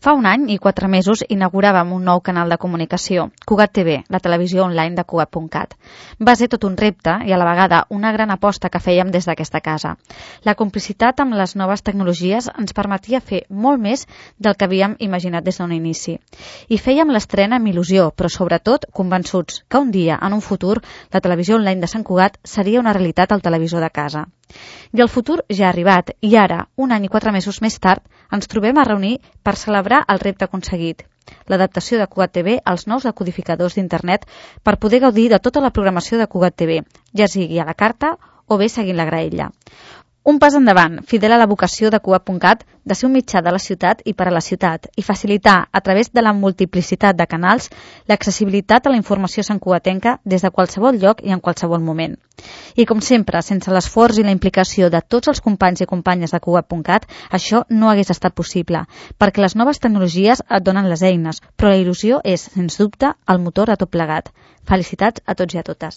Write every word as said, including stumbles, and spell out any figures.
Fa un any i quatre mesos inauguràvem un nou canal de comunicació, Cugat T V, la televisió online de Cugat punt cat. Va ser tot un repte i a la vegada una gran aposta que fèiem des d'aquesta casa. La complicitat amb les noves tecnologies ens permetia fer molt més del que havíem imaginat des d'un inici. I fèiem l'estrena amb il·lusió, però sobretot convençuts que un dia, en un futur, la televisió online de Sant Cugat seria una realitat al televisor de casa. I el futur ja ha arribat i ara, un any i quatre mesos més tard, ens trobem a reunir per celebrar el repte aconseguit, l'adaptació de Cugat T V als nous decodificadors d'internet per poder gaudir de tota la programació de Cugat T V, ja sigui a la carta o bé seguint la graella. Un pas endavant, fidel a la vocació de Cugat punt cat de ser un mitjà de la ciutat i per a la ciutat i facilitar, a través de la multiplicitat de canals, l'accessibilitat a la informació santcugatenca des de qualsevol lloc i en qualsevol moment. I com sempre, sense l'esforç i la implicació de tots els companys i companyes de Cugat punt cat, això no hagués estat possible, perquè les noves tecnologies et donen les eines, però la il·lusió és, sens dubte, el motor a tot plegat. Felicitats a tots i a totes.